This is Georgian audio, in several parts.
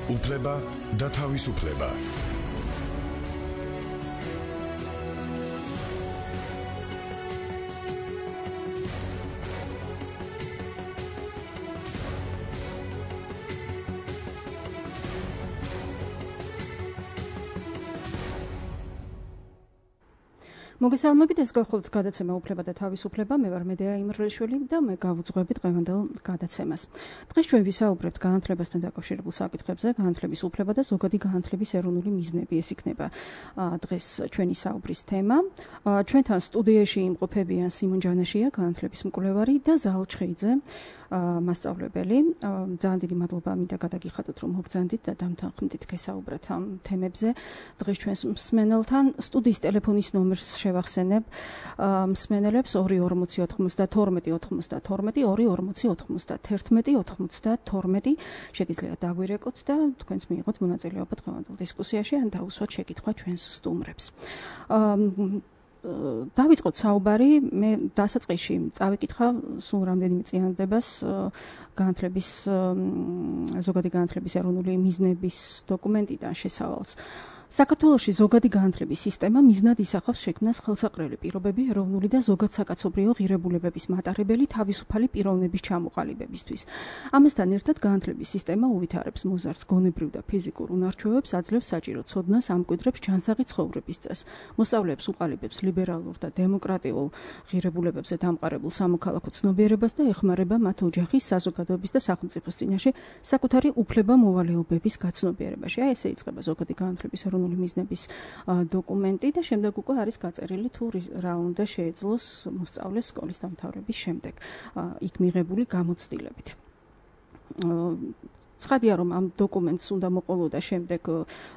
უფლება და თავისუფლება. მოგესალმებით, ეს გახლავთ გადაცემა უფლება და თავისუფლება. მე ვარ მედეა იმრელიშვილი და მე გავუძღვები დღევანდელ გადაცემას. დღეს ჩვენ ვისაუბრებთ განათლებასთან დაკავშირებულ საკითხებზე, განათლების უფლება და ზოგადი განათლების ეროვნული მიზნები. ეს იქნება დღეს ჩვენი საუბრის თემა. ჩვენთან სტუდიაში იმყოფებიან სიმონ ჯანაშია, განათლების მკვლევარი და ზაალ ჩხეიძე, მასწავლებელი. ძალიან დიდი მადლობა მინდა გადაგიხადოთ, რომ მოგზანდით და დამთანხმდით გესაუბრათ ამ თემებზე. დღეს ჩვენს მსმენელთან სტუდიის ტელეფონის ნომერს შევახსენებ მსმენელებს 24092 შეგიძლიათ დაგვირეკოთ და თქვენც მიიღოთ მონაწილეობა დღევანდელ დისკუსიაში ან დაუსვათ შეკითხვა ჩვენს სტუმრებს. დავიწყოთ საუბარი, მე დასაწყისში წავიკითხა სულ რამდენიმე წინადადებას განათლების ზოგადი განათლების ეროვნული მიზნების დოკუმენტიდან შესავალს. საქართველოში ზოგადი განათლების სისტემა მიზნად ისახავს შექმნას ხელსაყრელი პირობები ეროვნული და ზოგად საკაცობრიო ღირებულებების მატარებელი თავისუფალი პიროვნების ჩამოყალიბებისთვის. ამასთან ერთად განათლების სისტემა უვითარებს მოზარდს გონებრივ და ფიზიკურ უნარჩვევებს, აძლევს საჭირო ცოდნას, ამკვიდრებს ჯანსაღი ცხოვრების წესს, მოსწავლეებს უყალიბებს ლიბერალურ და დემოკრატიულ ღირებულებებზე დამყარებულ სამოქალაქო ცნობიერებას და ეხმარება მათ ოჯახის, საზოგადოების და სახელმწიფოს წინაშე საკუთარი უფლება-მოვალეობების გაცნობიერებაში. აი ესე იწყება ზოგადი განათლების მიზნების დოკუმენტი და შემდეგ უკვე არის გაწერილი თუ რა უნდა შეეძლოს მოსწავლეს სკოლის დამთავრების შემდეგ იქ მიღებული გამოცდილებით. ცხადია, რომ ამ დოკუმენტს უნდა მოყოლოდა შემდეგ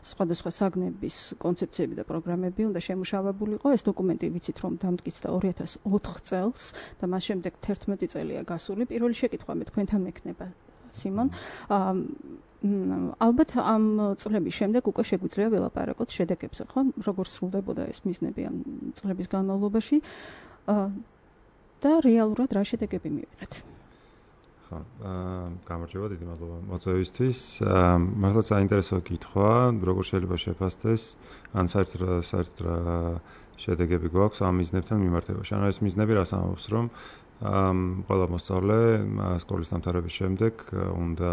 სხვადასხვა საგნების კონცეფციები და პროგრამები უნდა შემუშავებულიყო. ეს დოკუმენტი ვიცით, რომ დამტკიცდა 2004 წელს და მას შემდეგ 11 წელია გასული. პირველი შეკითხვა მე თქვენთან მექნება, სიმონ. ალბათ ამ წლების შემდეგ უკვე შეგვიძლია ველაპარაკოთ შედეგებზე, ხო? როგორ სრულდებოდა ეს მიზნები ამ წლების განმავლობაში და რეალურად რა შედეგები მივიღეთ? ხო, გამარჯობა, დიდი მადლობა მოწვევისთვის. მართლაც საინტერესო კითხვა, როგორ შეიძლება შეფასდეს, ან საერთოდ რა შედეგები გვაქვს ამ მიზნებთან მიმართებაში. ანუ ეს მიზნები რას ამბობს, რომ ყველა მოსწავლე სკოლის დამთავრების შემდეგ უნდა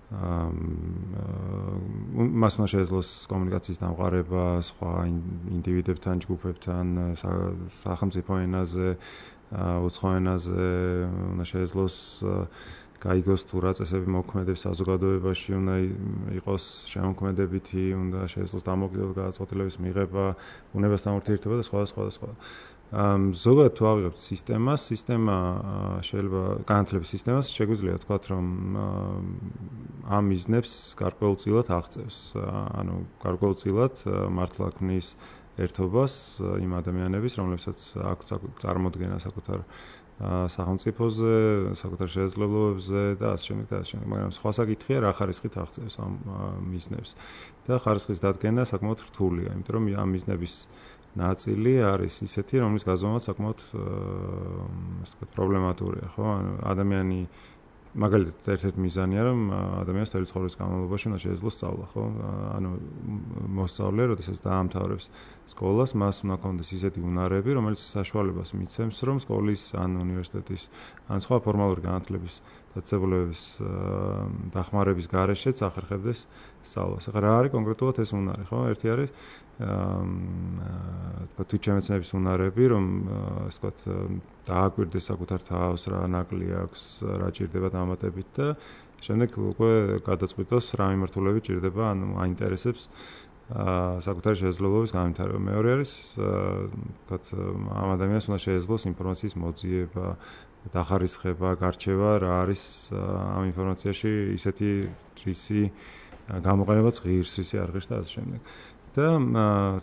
მას უნდა შეეძლოს კომუნიკაციის დამყარება სხვა ინდივიდებთან, ჯგუფებთან, სახელმწიფო ენაზე, უცხო ენაზე, უნდა შეეძლოს გაიგოს თუ რა წესები მოქმედებს საზოგადოებაში, უნდა იყოს შემოქმედებითი, უნდა შეეძლოს დამოუკიდებლად გადაწყვეტილების მიღება, ბუნებასთან ურთიერთობა და სხვა. ზოგადად თუ ავიღებთ სისტემა შეიძლება განათლების სისტემას შეგვიძლია ვთქვათ, რომ ამ მიზნებს გარკვეულწილად აღწევს. ანუ გარკვეულწილად მართლა ქმნის ერთობას იმ ადამიანების, რომლებსაც აქვს წარმოდგენა საკუთარ სახელმწიფოზე, საკუთარ შესაძლებლობებზე და ასე შემდეგ. მაგრამ სხვა საკითხია, რა ხარისხით აღწევს ამ მიზნებს. და ხარისხის დადგენა საკმაოდ რთულია, იმიტომ რომ ამ მიზნების ნაწილი არის ისეთი, რომლის გაზომვა საკმაოდ პრობლემატურია, ხო? ანუ ადამიანი მაგალითად ერთ-ერთი მიზანია, რომ ადამიანს თელი ცხოვრების განმავლობაში უნდა შეეძლოს სწავლა, ხო? ანუ მოსწავლე, როდესაც დაამთავრებს სკოლას, მას უნდა ჰქონდეს ისეთი უნარები, რომელიც საშუალებას მიცემს, რომ სკოლის ან უნივერსიტეტის ან სხვა ფორმალური განათლების დაწესებულებების დახმარების გარეშეც ახერხებდეს სწავლას. ახლა რა არის კონკრეტულად ეს უნარი, ხო? ერთი არის თვითშემეცნების უნარები, რომ ასე ვთქვათ, დააკვირდეს საკუთარ თავს, რა ნაკლი აქვს, რა ჭირდება დამატებით და შემდეგ უკვე გადაწყვიტოს რა მიმართულებით ჭირდება, ანუ აინტერესებს საკუთარი შესაძლებლობის განვითარება. მეორე არის, ვთქვათ, ამ ადამიანს უნდა შეეძლოს ინფორმაციის მოძიება, დახარისხება, გარჩევა, რა არის ამ ინფორმაციაში ისეთი რისი გამოყენებაც ღირს, რისი არ ღირს და ასე შემდეგ. და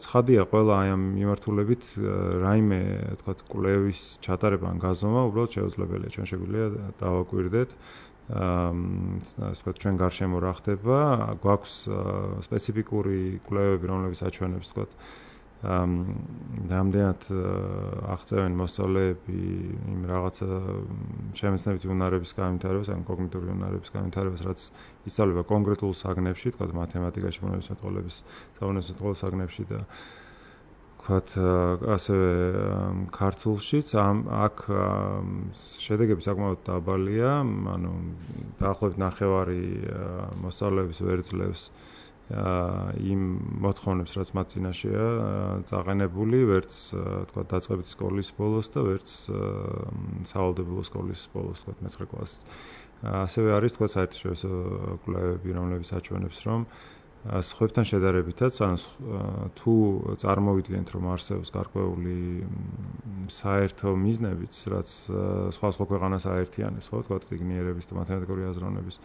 ცხადია, ყველა აი ამ მიმართულებით რაიმე, ვთქვათ, კვლევის ჩატარება ან გაზომა უბრალოდ შეუძლებელია. ჩვენ შეგვიძლია დავაკვირდეთ, ასე ვთქვათ, ჩვენ გარშემო რა ხდება, გვაქვს სპეციფიკური კვლევები, რომლებიც აჩვენებს, ვთქვათ, რამდენად აღწევენ მოსწავლეები იმ რაღაცა შემეცნებითი უნარების განვითარებას, ან კოგნიტიური უნარების განვითარებას, რაც ისწავლება კონკრეტულ საგნებში, თქვა მათემატიკაში, ბუნებისმეტყველების საგნებში და ვთქვათ, ასევე ქართულშიც აქ შედეგები საკმაოდ დაბალია, ანუ დაახლოებით 9 მოსწავლეების ვერძლევს იმ მოთხოვნებს, რაც მათ წინაშეა წაყენებული, ვერც თქვათ დაწყებითი სკოლის ბოლოს და ვერც სავალდებულო სკოლის ბოლოს, თქვათ 9 კლასის. ასევე არის თქვათ საერთაშორისო კვლევები, რომლებიც აჩვენებს, რომ სხვებთან შედარებითაც, ანუ თუ წარმოვიდგენთ, რომ არსებობს გარკვეული საერთო მიზნებიც, რაც სხვა ქვეყანას აერთიანებს, ხო, თქვათ ციგნიერების და მათემატიკური აზროვნების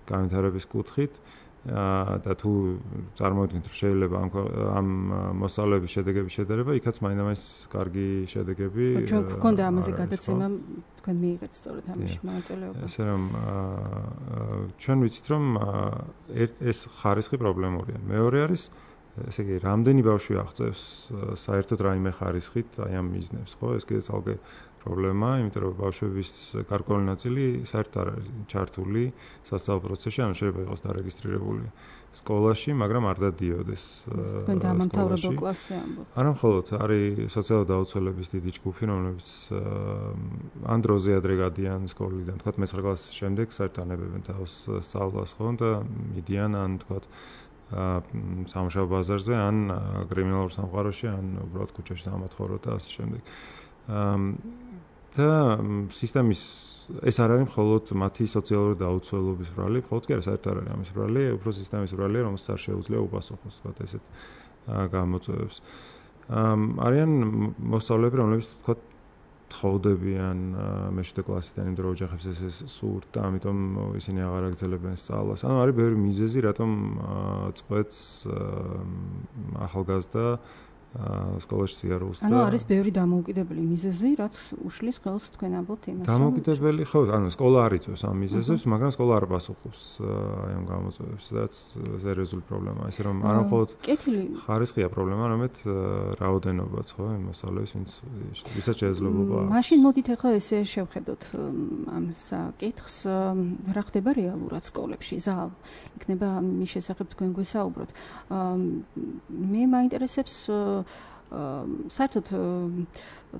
განვითარების კუთხით, და თუ წარმოვიდგენთ, რომ შეიძლება ამ მოსწავლეების შედეგების შედარება, იქაც მაინც კარგი შედეგები. ჩვენ გქონდა ამაზე გადაცემა, თქვენ მიიღეთ სწორედ ამაში მონაწილეობა. ესე რომ ჩვენ ვიცით, რომ ეს ხარისხი პრობლემურია. მეორე არის, ესე იგი, რამდენი ბავშვი აღწევს საერთოდ რაიმე ხარისხით აი ამ მიზნებს, ხო? ეს კიდე ძალზე პრობლემაა, იმიტომ რომ ბავშვების გარკვეული ნაწილი საერთოდ არ არის ჩართული სასწავლო პროცესში, ანუ შეიძლება იყოს დარეგისტრირებული სკოლაში, მაგრამ არ დადიოდეს. თქვენ დამამთავრებელ კლასზე ამბობთ. არა მხოლოდ არის სოციალური დაუცველების დიდი ჯგუფი, რომლებიც ან დროზე ადრე გადიან სკოლიდან, თქვათ 9 კლასის შემდეგ საერთოდ ანებებენ თავს სწავლას, ხო, და მიდიან ან თქვათ სამუშაო ბაზარზე, ან კრიმინალურ სამყაროში, ან უბრალოდ ქუჩაში სამათხოვრო და ასე შემდეგ. და სისტემის ეს არ არის მხოლოდ მათი სოციალური დაუცველობის ბრალი, მხოლოდ კი არა, საერთოდ არ არის ამის ბრალი, უფრო სისტემის ბრალია, რომელსაც არ შეუძლია უპასუხოს, თქვათ ესეთ გამოწვევებს. არიან მოსწავლეები, რომლებიც თქვათ თხოვდებიან მე-7 კლასიდან იმ დრო ოჯახებს ეს სურთ და ამიტომ ისინი აღარ აგრძელებენ სწავლას. ანუ არის ბევრი მიზეზი, რატომ წყვეტს ახალგაზრდა სკოლაში სიარულს და ანუ არის ბევრი დამოუკიდებელი მიზეზი, რაც უშლის ხელს თქვენ ამბობთ იმას, რომ დამოუკიდებელი, ხო, ანუ სკოლა არ იწვევს ამ მიზეზებს, მაგრამ სკოლა არ პასუხობს აი ამ გამოწვევებს, რაც სერიოზული პრობლემაა, ესე რომ არა მხოლოდ ხარისხია პრობლემა, არამედ რაოდენობაც, ხო, იმ მოსწავლეების, ვისაც შესაძლებლობა აქვს. მაშინ მოდით ახლა ესე შევხედოთ ამ საკითხს, რა ხდება რეალურად სკოლებში, ზალ იქნება მის შესახებ თქვენ გვესაუბროთ. მე მაინტერესებს საერთოდ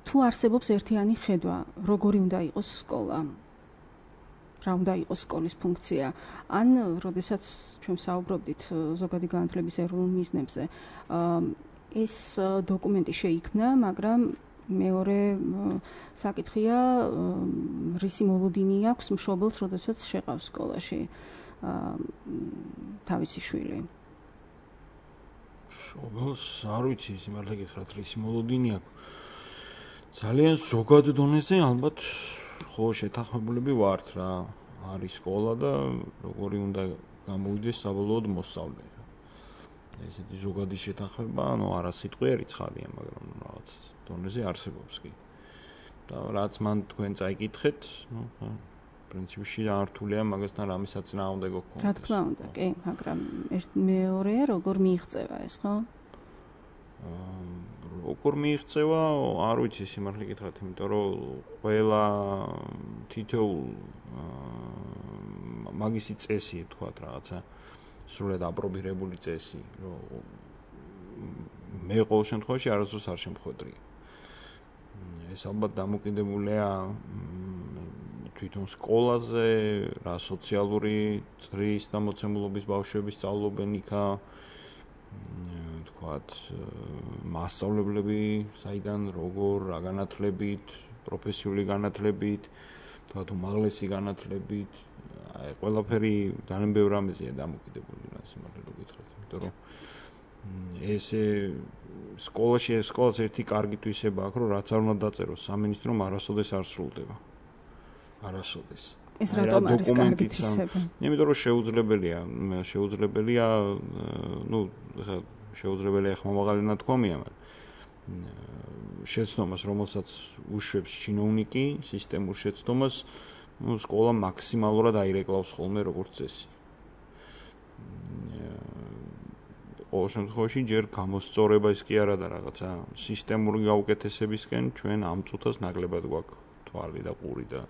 თუ არსებობს ერთიანი ხედვა, როგორი უნდა იყოს სკოლა, რა უნდა იყოს სკოლის ფუნქცია, ან როდესაც ჩვენ საუბრობდით ზოგადი განათლების ეროვნულ მიზნებზე, ეს დოკუმენტი შეიქმნა, მაგრამ მეორე საკითხია, რისი მოლოდინი აქვს მშობელს, როდესაც შეყავს სკოლაში თავისი შვილი. მშობელს არ ვიცი, სიმართლე გითხრათ, რისი მოლოდინი აქვს. ძალიან ზოგად დონეზე ალბათ ხო შეთანხმებულები ვართ რა. არის სკოლა და როგორი უნდა გამოვიდეს საბოლოოდ მოსწავლე. ესეთი ზოგადი შეთანხმება, ანუ არა სიტყვიერი ცხადია, მაგრამ რაღაც დონეზე არსებობს კი. და რაც მან თქვენ წაიკითხეთ, პრინციპში რთულია მაგასთან რამე საწინააღმდეგო გქონდეს. რა თქმა უნდა, კი, მაგრამ მეორეა როგორ მიიღწევა ეს, ხო? როგორ მიიღწევა, არ ვიცი სიმართლე გითხრათ, იმიტომ რომ ყველა თითოეულ მაგისი წესი, თქვათ რაღაცა სრულად აპრობირებული წესი, რომ მე ყოველ შემთხვევაში არასდროს არ შემხვედრია. ეს ალბათ დამოკიდებულია თვითონ სკოლაზე, რა სოციალური წრის და მოცემულობის ბავშვები სწავლობენ იქა, თქვათ, მასწავლებლები, საიდან, როგორ, რა განათლებით, პროფესიული განათლებით, თქვათ, უმაღლესი განათლებით, აი, ყველაფერი ძალიან ბევრ რამეზეა დამოკიდებული რა სიმართლე რომ გითხრათ, იმიტომ რომ ესე სკოლას ერთი კარგი თვისება აქვს, რომ რაც არ უნდა დაწეროს სამინისტრომ არასოდეს არ სრულდება. არასოდეს. ეს რატომ არის კარგი თვისება? იმიტომ რომ შეუძლებელია, შეუძლებელია ხმა მაღალი ნათქვამია, მაგრამ შეცდომას, რომელსაც უშვებს ჩინოვნიკი, სისტემურ შეცდომას, სკოლა მაქსიმალურად აირეკლავს ხოლმე როგორც წესი. ყოველ შემთხვევაში ჯერ გამოსწორება ის კი არა და რაღაცა სისტემური გაუკეთესებისკენ ჩვენ ამ წუთას ნაკლებად გვაქვს თვალი და ყური და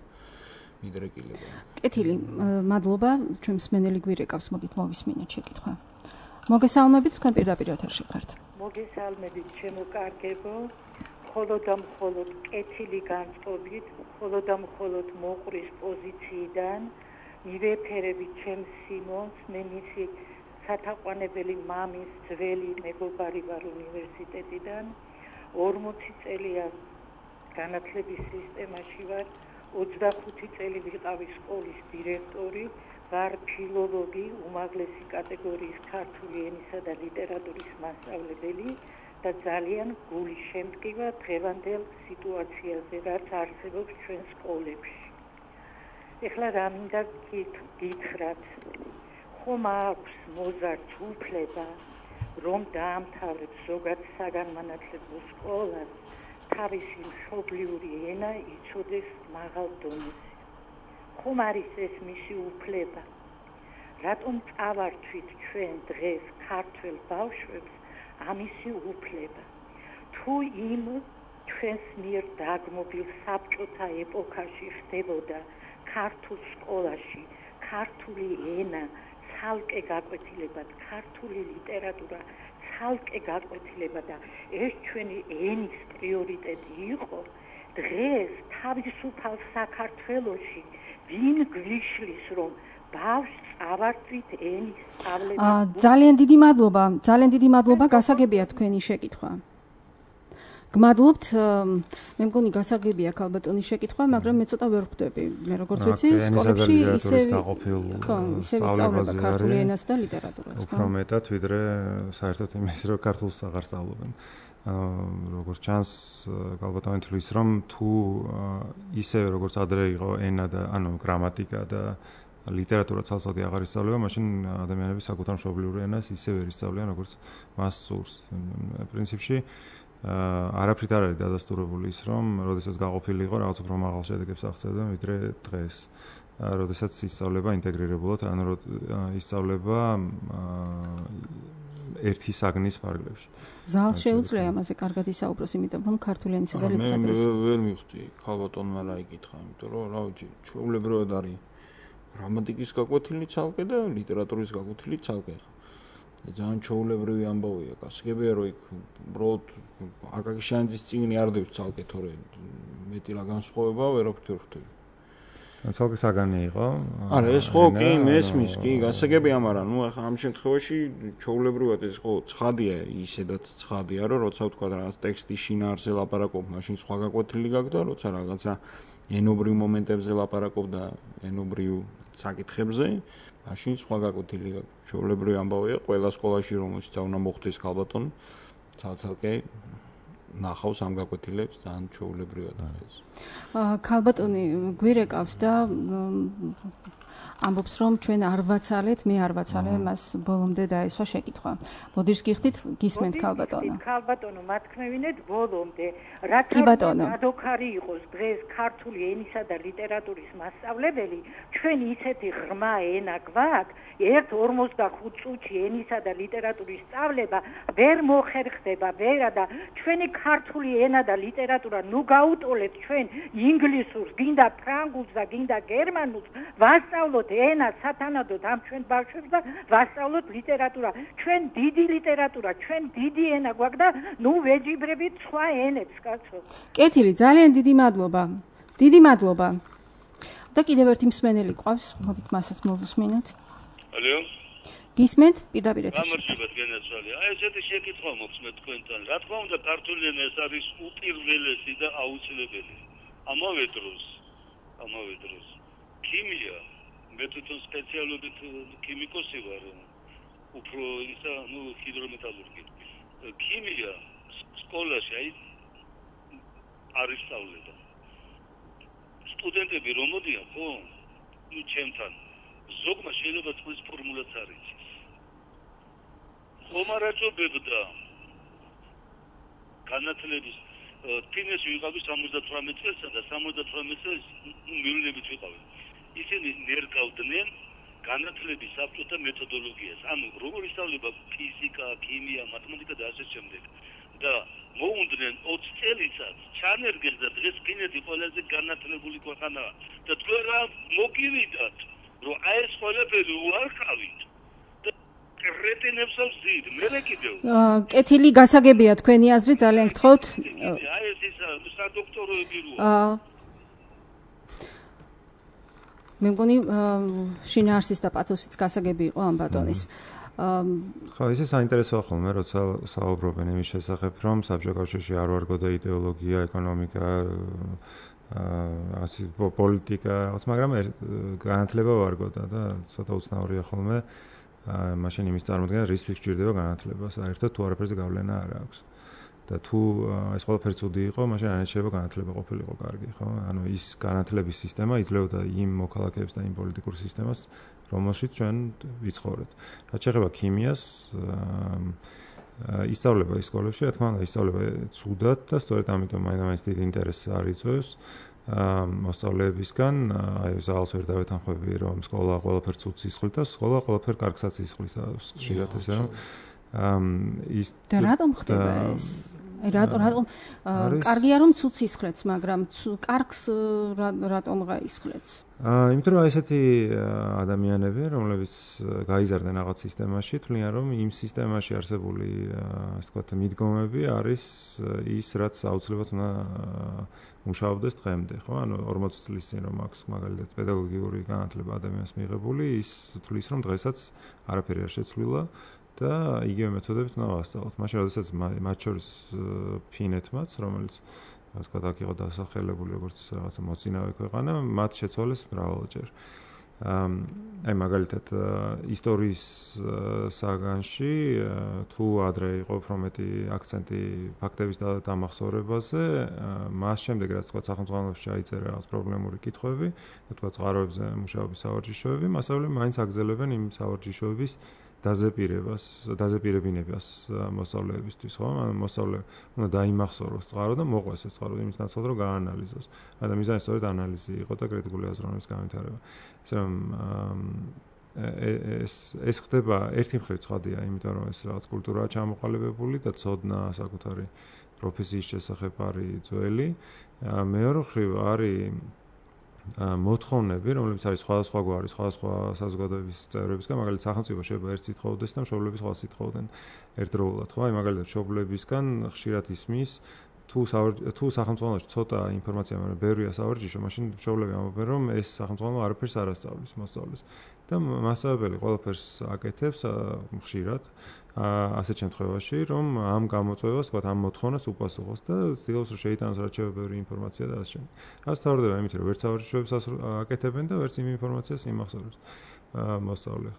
მიდრეკილება. კეთილი, მადლობა, ჩვენ მსმენელი გვირეკავს, მოდით მოვისმინოთ შეკითხვა. მოგესალმებით, თქვენ პირდაპირ ეთერში ხართ. მოგესალმებით, ჩემო კარგებო. მხოლოდ და მხოლოდ კეთილი განწყობით, მხოლოდ და მხოლოდ მოყრის პოზიციიდან მივეფერებით ჩემს სიმონს, მე მისი სათაყვანებელი მამის ძველი მეგობარი ვარ უნივერსიტეტიდან. 40 წელია განათლების სისტემაში ვარ, 25 წელი ვიყავი სკოლის დირექტორი, ვარ ფილოლოგი, უმაღლესი კატეგორიის ქართული ენისა და ლიტერატურის მასწავლებელი და ძალიან გული შემტკივა დღევანდელ სიტუაციაზე, რაც არსებობს ჩვენ სკოლებში. ეხლა რა მინდა გითხრათ, ხომ აქვს მოზარდს უფლება, რომ დაამთავრებს ზოგად საგანმანათლებლო სკოლას, თავისი მშობლიური ენა იცოდეს მაღალ დონეზე. ხომ არის ეს მისი უფლება? რატომ წავართვით ჩვენ დღეს ქართველ ბავშვებს ამისი უფლება? თუ იმ ჩვენს მიერ დაგმობილ საბჭოთა ეპოქაში ხდებოდა ქართულ სკოლაში ქართული ენა ცალკე გაკვეთილებად, ქართული ლიტერატურა ცალკე გაკვეთილება და ეს ჩვენი ენის პრიორიტეტი იყო, დღეს თავისუფალ საქართველოში ვინ გვიშლის, რომ ბავშვს წავართვით ენის სწავლება? ძალიან დიდი მადლობა, გასაგებია თქვენი შეკითხვა. გმადლობთ, მე მგონი გასაგებია ქალბატონის შეკითხვა, მაგრამ მე ცოტა ვერ ხვდები. მე როგორც ვიცი, სკოლებში ისე სწავლება ქართული ენას და ლიტერატურას. უფრო მეტად ვიდრე საერთოდ იმის, რომ ქართულს აღარ სწავლობენ. როგორც ჩანს, ქალბატონი თვლის, რომ თუ ისე როგორც ადრე იყო ენა და გრამატიკა და ლიტერატურა ცალსახე აღარ ისწავლება, მაშინ ადამიანები საკუთარ მშობლიურ ენას ისე ვერ ისწავლიან, როგორც მას სურს. პრინციპში არაფრით არ არის დადასტურებული ის, რომ როდესაც გაყოფილი იყო რაღაც უფრო მაღალ შედეგებს აღწევდნენ ვიდრე დღეს. როდესაც ისწავლება ინტეგრირებულად, ისწავლება ერთი საგნის ფარგლებში. ზალს შეუძლია ამაზე კარგად ისაუბროს, იმიტომ რომ ქართული ენისა და ლიტერატურის მე ვერ მივხვდი ქალბატონმა რა იკითხა, იმიტომ რომ რა ვიცი, ჩვეულებრივად არის გრამატიკის გაკვეთილი ცალკე და ლიტერატურის გაკვეთილი ცალკე. ძალიან ჩვეულებრივი ამბავია, გასაგებია რომ იქ უბრალოდ აკაკიშიანის წიგნი არ დევს ცალკე, თორე მეტი რა განსხვავება ვერაფრით ვერ ხვდები. ცალკე საგანი იყო. არა, ეს ხო კი მესმის, კი, გასაგებია, მაგრამ ახლა ამ შემთხვევაში ჩვეულებრივად ეს ხო ცხადია, ისედაც ცხადია, რომ როცა ვთქვა რაღაც ტექსტის შინაარსზე ლაპარაკობ, მაშინ სხვა გაკვეთილი გაქვს და როცა რაღაცა ენობრივ მომენტებზე ლაპარაკობ და ენობრივ საკითხებზე, მაშინ სხვა გაკვეთილი გაქვს. ჩვეულებრივი ამბავია, ყველა სკოლაში რომელშიც უნდა მოხდეს ქალბატონი, ცალ-ცალკე ნახავს ამ გაკვეთილებს და ან ჩვეულებრივად ეს. ქალბატონი გვირეკავს და ამბობს, რომ ჩვენ არ ვაცალეთ, მე არ ვაცალე, მას ბოლომდე დაესვა შეკითხვა. მოდიშ გიხდით, გისმენთ ქალბატონო. ქალბატონო, მათქმევინეთ ბოლომდე. რათა გადოქარი იყოს დღეს ქართული ენისა და ლიტერატურის მასწავლებელი, ჩვენ ისეთი ღრმა ენა გვაქვს, 1-45 წუთში ენისა და ლიტერატურის სწავლება ვერ მოხერხდება, ვერა და ჩვენი ქართული ენა და ლიტერატურა ნუ გაუტოლებთ ჩვენ ინგლისურს, გინდა ფრანგულს და გინდა გერმანულს, ვასწავლოთ ენა სათანადოდ ამ ჩვენ ბავშვებს და ვასწავლოთ ლიტერატურა. ჩვენ დიდი ლიტერატურა, ჩვენ დიდი ენა გვაქვს და ნუ ვეჯიბრებით სხვა ენებს, კაცო. კეთილი, ძალიან დიდი მადლობა. დიდი მადლობა. და კიდევ ერთი მსმენელი ყავს, მოდით მასაც მოვუსმინოთ. ალო? გისმენთ, პირდაპირ ეთერში. გამარჯობათ, გენაცვალე. ესეთი შეკითხვა მოქვს მე თქვენთან. რა თქმა უნდა, ქართული ენა ეს არის უპირველესი და აუცილებელი. ამავე დროს ქიმია, მე თვითონ სპეციალობით ქიმიკოსი ვარ, უფრო ისა, ჰიდრომეტალურგი. ქიმია სკოლაში არ ისწავლება. სტუდენტები რომ მოდიან, ხო? ჩემთან ზოგმა შეიძლება წყლის ფორმულაც არ იცის. ხომ არ აწობებდა განათლების ფინანსი ვიყავი 78 წელსა და 78 წელს მიულებით ვიყავი. ისინი ნერგავდნენ განათლების საბჭოთა მეთოდოლოგიას. ანუ როგორ ისწავლება ფიზიკა, ქიმია, მათემატიკა და ასე შემდეგ. და მოუნდნენ 20 წელიწადს ჩანერგეს და დღეს ფინეთი ყველაზე განათლებული ქვეყანაა. და თქვენ რა მოგივიდათ, რომ აი ეს ყველაფერი უარყავით. კრეტინებს ვზით, მე კიდევ. კეთილი გასაგებია თქვენი აზრი, ძალიან გთხოვთ. აი ეს სადოქტოროები როა. მე მგონი შინაარსის და პათოსის გასაგები იყო ამ ბატონის. ხო, ისე საინტერესოა ხოლმე, როცა საუბრობენ იმის შესახებ, რომ საბჭოთა კავშირში არ ვარგოდა იდეოლოგია, ეკონომიკა, პოლიტიკა, მაგრამ განათლება ვარგოდა და ცოტა უცნაურია ხოლმე. მაშინ იმის წარმოქმნა, რისთვის გჭირდება განათლება, საერთოდ თუ არაფერზე გავლენა არ აქვს. და თუ ეს ყველაფერი ცუდი იყო, მაშინ არ შეიძლება განათლება ყოფილიყო კარგი, ხო? ანუ ის განათლების სისტემა იძლეოდა იმ მოქალაქეებს და იმ პოლიტიკურ სისტემას, რომელშიც ჩვენ ვიცხოვრეთ. რაც შეეხება ქიმიას, ისწავლება ის სკოლებში, რა თქმა უნდა, ისწავლება ცუდად და სწორედ ამიტომ მაინც დიდი ინტერესი არ იწვევს მოსწავლეებისგან. აი ზალს ვერ დავეთანხმები, რომ სკოლა ყველაფერს ცუდს ისხლის და სკოლა ყველაფერს კარგსაც ისხლის, ხშირად ესე რომ ის და რატომ ხდება ეს? რატომ კარგია რომ ცუდს ისხლებს, მაგრამ კარგს რატომ გაისხლებს? იმიტომ რომ ესეთი ადამიანები, რომლებიც გაიზარდნენ რაღაც სისტემაში, თვლიან რომ იმ სისტემაში არსებული, ასე ვთქვათ, მიდგომები არის ის, რაც აუცილებლად უნდა მუშაობდეს დღემდე, ხო? ანუ 40 წლის წინ რომ აქვს მაგალითად პედაგოგიური განათლება ადამიანს მიღებული, ის თვლის რომ დღესაც არაფერი არ შეცვლილა. და იგივე მეთოდებით უნდა ვასწავლოთ. მაშინ, როდესაც მათ შორის ფინეთმაც, რომელიც ასე ვთქვათ, აქ იყო დასახელებული როგორც რაღაცა მოწინავე ქვეყანა, მათ შეცვალეს მრავალჯერ. აი მაგალითად ისტორიის საგანში თუ ადრე იყო უფრო მეტი აქცენტი ფაქტების დამახსოვრებაზე, მას შემდეგ რაც ვთქვათ სახელმწიფოში ჩაიწერა რაღაც პრობლემური კითხვები, ვთქვათ წყაროებზე მუშაობის სავარჯიშოები, მასწავლებლები მაინც აგზელებენ იმ სავარჯიშოების დაზეპირებინებას მოსწავლეებისთვის, ხო? ანუ მოსწავლე უნდა დაიმახსოვროს წყარო და მოყვეს ეს წყარო იმის ნაცვლად რომ გაანალიზოს. და მიზანი სწორედ ანალიზი იყო და კრიტიკული აზროვნების განვითარება. ესე რომ ეს ხდება ერთი მხრივ ცხადია, იმიტომ რომ ეს რაღაც კულტურაა ჩამოყალიბებული და ცოდნა საკუთარი პროფესიის შესახებ არის ძველი. მეორე მხრივ არის მოთხოვნები, რომლებიც არის სხვადასხვა გვარი, სხვადასხვა საზოგადოების წევრებისგან, მაგალითად სახელმწიფო შეიძლება ერთ სიტყვოვდეს და მშობლები სხვა სიტყვოვდნენ ერთდროულად, ხო? აი მაგალითად მშობლებისგან ხშირად ისმის თუ სახელმწიფოში ცოტა ინფორმაცია, მაგრამ ბევრია სავარჯიშო, მაშინ მშობლები ამბობენ, რომ ეს სახელმწიფო არაფერს არ ასწავლის მოსწავლეს. და მასწავლებელი ყველაფერს აკეთებს ხშირად ასეთ შემთხვევაში, რომ ამ გამოწვევას, თქვათ, ამ მოთხოვნას უპასუხოს და ცდილობს რომ შეიტანოს რაც შეიძლება ბევრი ინფორმაცია და ასე შემდეგ. რაც თავდება იმით, რომ ვერც სავარჯიშოებს აკეთებენ და ვერც იმ ინფორმაციას იმახსოვრებს მოსწავლე.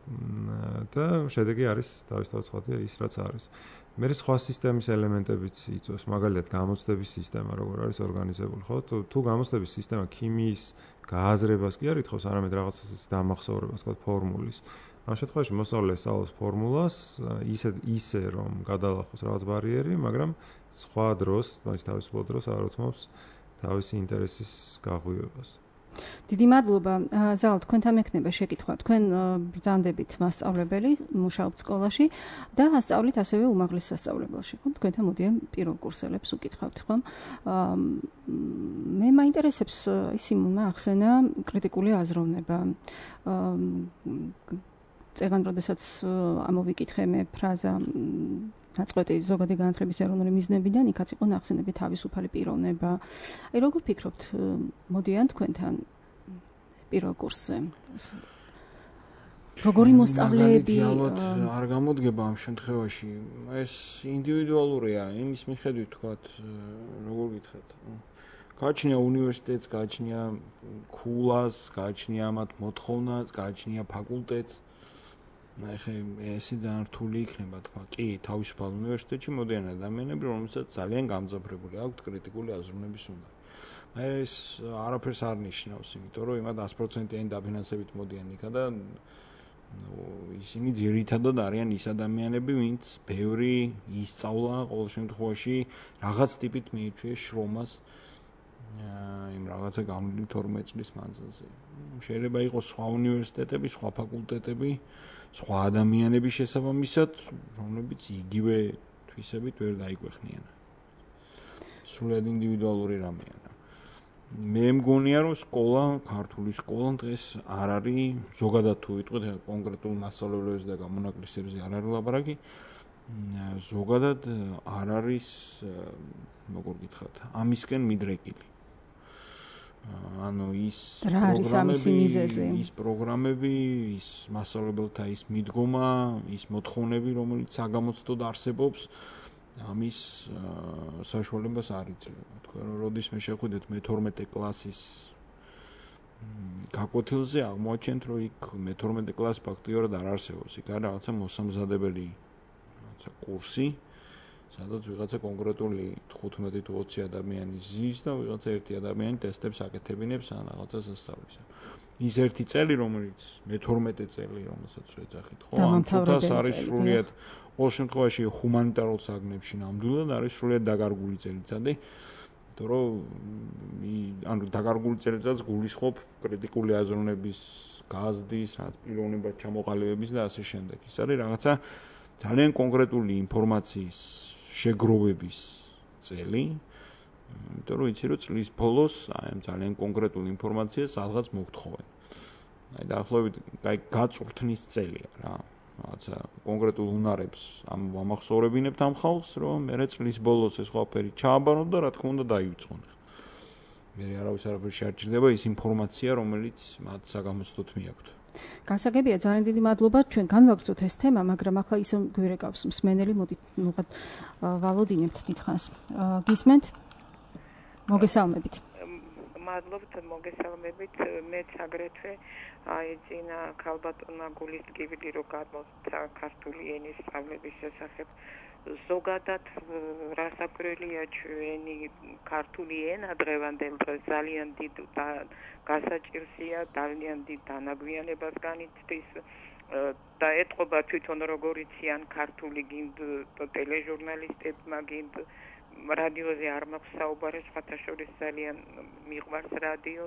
და შედეგი არის თავისთავად ცხადია ის, რაც არის. მე სხვა სისტემის ელემენტებიც იწვევს, მაგალითად გამოცდების სისტემა, როგორ არის ორგანიზებული, ხო? თუ გამოცდების სისტემა ქიმიის გააზრებას კი არ ითხოვს, არამედ რაღაცას დამახსოვრებას, თქვათ, ფორმულის. ამ შემთხვევაში მოსწავლე სწავლობს ფორმულას ისე რომ გადალახოს რაღაც ბარიერი, მაგრამ სხვა დროს, თავისუფალ დროს არ უთმობს თავისი ინტერესის გაღვივებას. დიდი მადლობა. ზალ, თქვენთან მექნება შეკითხვა. თქვენ ბრძანდებით მასწავლებელი, მუშაობთ სკოლაში და ასწავლით ასევე უმაღლეს სასწავლებელში, ხო? თქვენთან მოდიან პირველ კურსელებს უკითხავთ, ხო? მე მაინტერესებს ისი მოახსენა კრიტიკული აზროვნება. წეგან როდესაც ამოვიკითხე მე ფრაზა ნაწყვეტი ზოგადი განათლების ეროვნული მიზნებიდან, იქაც იყო ნახსენები თავისუფალი პიროვნება. აი როგორ ფიქრობთ, მოდიან თქვენთან პირველ კურსზე? როგორი მოსწავლეები არ გამოდგება ამ შემთხვევაში? ეს ინდივიდუალურია, იმის მიხედვით თქვათ, როგორ გითხრათ? გააჩნია უნივერსიტეტს, გააჩნია ქულას, გააჩნია მათ მოთხოვნას, გააჩნია ფაკულტეტს. ახლა ესე ძალიან რთული იქნება თქვა. კი, თავისუფალ უნივერსიტეტში მოდიან ადამიანები, რომელსაც ძალიან გამძაფრებული აქვთ კრიტიკული აზროვნების უნარი. ეს არაფერს არ ნიშნავს, იმიტომ რომ იმათ 100%-იანი დაფინანსებით მოდიან იქა და ისინი ძირითადად არიან ის ადამიანები, ვინც ბევრი ისწავლა, ყოველ შემთხვევაში რაღაც ტიპით მიიწვიეს შრომას იმ რაღაცა განვლილი 12 წლის მანძილზე. შეიძლება იყოს სხვა უნივერსიტეტები, სხვა ფაკულტეტები, სხვა ადამიანების შესაბამისად, რომლებიც იგივე თვისებით ვერ დაიგვეხნიან. სრულად ინდივიდუალური რამეა. მე მგონია, რომ სკოლა, ქართული სკოლა დღეს არ არის ზოგადად თუ ვიტყვით კონკრეტულ მასწავლებლებებზე და გამონაკლისებზე არ არის ლაპარაკი. ზოგადად არ არის, როგორ გითხრათ, ამისკენ მიდრეკილი. ანუ ის პროგრამები, ის მასწავლებელთა ის მიდგომა, ის მოთხოვნები, რომელიც საგამოცდოდ არსებობს, ამის საშუალებას არ იძლევა. თქვენ როდისმე შეხვიდეთ მე-12 კლასის გაკვეთილზე, აღმოაჩენთ, რომ იქ მე-12 კლასი ფაქტიურად არ არსებობს. იქ არის რაღაცა მოსამზადებელი კურსი, სადაც ვიღაცა კონკრეტული 15 თუ 20 ადამიანი ზის და ვიღაცა ერთი ადამიანი ტესტებს აკეთებინებს ან რაღაცას ასწავლის. ის ერთი წელი, რომელიც მე-12 წელი, რომელსაც ვეძახით, ხო, ამ თუთას არის სრულიად ყოველ შემთხვევაში ჰუმანიტარულ საგნებში ნამდვილად არის სრულიად დაკარგული წელიწადი, იმიტომ რომ ანუ დაკარგული წელიწადს გულისხმობ კრიტიკული აზროვნების გაზრდის, პიროვნებად ჩამოყალიბების და ასე შემდეგ. ის არის რაღაცა ძალიან კონკრეტული ინფორმაციის შეგროვების წელი, იმიტომ რომ იცი რომ წლის ბოლოს აი ამ ძალიან კონკრეტულ ინფორმაციას რაღაც მოგთხოვენ. აი დაახლოებით აი გაწვრთნის წელია რა. რაღაცა კონკრეტულ უნარებს ამახსოვრებინებთ ამ ხალხს, რომ მე წლის ბოლოს ეს ყველაფერი ჩააბაროთ და რა თქმა უნდა დაივიწყონ. მე არავის არაფერი შეარჩიდება ის ინფორმაცია, რომელიც მათ საგამოცდოდ მიაქვთ. გასაგებია, ძალიან დიდი მადლობა. ჩვენ განვაგრძოთ ეს თემა, მაგრამ ახლა ისე გვირეკავს მსმენელი, მოდით ნუღად ვალოდინებთ დიდხანს. გისმენთ? მოგესალმებით. მადლობთ, მოგესალმებით. მეც აგრეთვე აი წინა ქალბატონმა გულისწყივდი, რომ გამოცა ქართული ენის სწავლების შესახებ. ზოგადად რასაკვირველია, ჩვენი ქართული ენა დღევანდელ დღეს ძალიან დიდ გასაჭირსია, ძალიან დიდ დანაგვიანებას განიცდის და ეტყობა თვითონ როგორ იციან ქართული გინდ ტელეჟურნალისტებმა, გინდ რადიოზე არ მაქვს საუბარი, სხვათა შორის ძალიან მიყვარს რადიო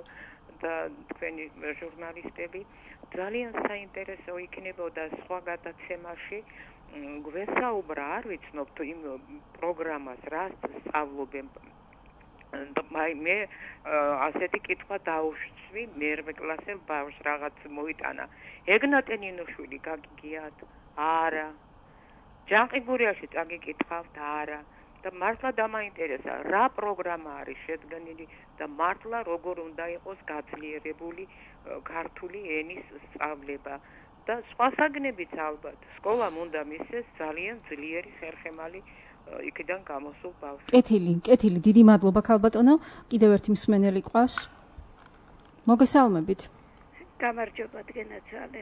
და თქვენი ჟურნალისტები. ძალიან საინტერესო იქნებოდა სხვა გადაცემაში გვესაუბრა, არ ვიცნობთ იმ პროგრამას, რას სწავლობენ. მე ასეთი კითხვა დაუშვი, მე-8 კლასელ ბავშვს რაღაც მოიტანა. ეგნატე ნინოშვილი გაგიგიათ? არა. ჯანყიგურიაში წაგიკითხავთ? არა. და მართლა დამაინტერესა, რა პროგრამა არის შედგენილი და მართლა როგორ უნდა იყოს გაძლიერებული ქართული ენის სწავლება და სხვა საგნებიც ალბათ. სკოლამ უნდა მისცეს ძალიან ძლიერი ხერხემალი იქიდან გამოსულ ბავშვს. კეთილი, დიდი მადლობა ქალბატონო. კიდევ ერთი მსმენელი ყავს. მოგესალმებით. გამარჯობა დგენაცალე.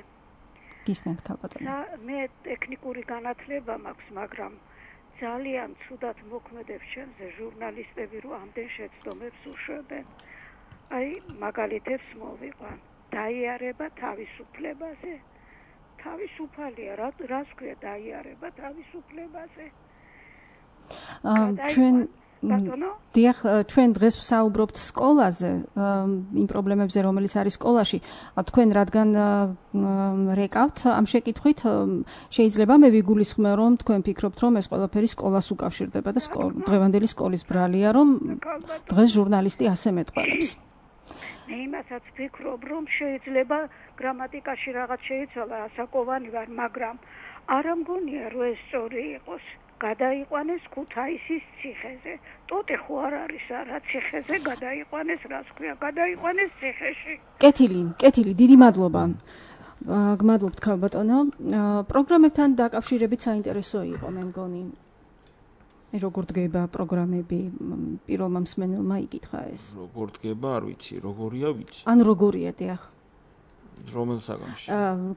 გისმენთ ქალბატონო. მე ტექნიკური განათლება მაქვს, მაგრამ ძალიან ცუდად მოქმედებს ჩემზე ჟურნალისტები, რომ ამდენ შეცდომებს უშვებენ. აი, მაგალითებს მოვიყვან. დაიარება თავისუფლებაზე. თავისუფალია, რას ქვია დაიარება თავისუფლებაზე? დიახ, ჩვენ დღეს ვსაუბრობთ სკოლაზე, იმ პრობლემებზე, რომელიც არის სკოლაში. თქვენ რადგან რეკავთ ამ შეკითხვით, შეიძლება მე ვიგულისხმე, რომ თქვენ ფიქრობთ, რომ ეს ყველაფერი სკოლას უკავშირდება და დღევანდელი სკოლის ბრალია, რომ დღეს ჟურნალისტი ასე მეტყველებს. მე იმასაც ვფიქრობ, რომ შეიძლება გრამატიკაში რაღაც შეიცვალა, ასაკოვანი ვარ, მაგრამ არ მგონია, რომ ეს სწორი იყოს. გადაიყვანეს ქუთაისის ციხეზე. ტოტე ხო არ არის არა ციხეზე, გადაიყვანეს, რას ქვია, გადაიყვანეს ციხეში. კეთილი, დიდი მადლობა. გმადლობთ ქალბატონო. პროგრამებთან დაკავშირებით საინტერესო იყო, მე მგონი. როგორ დგება პროგრამები, პირველმა მსმენელმა იკითხა ეს. როგორ დგება, არ ვიცი, როგორია ვიცი. ან როგორია, დიახ. რომელ საგანში?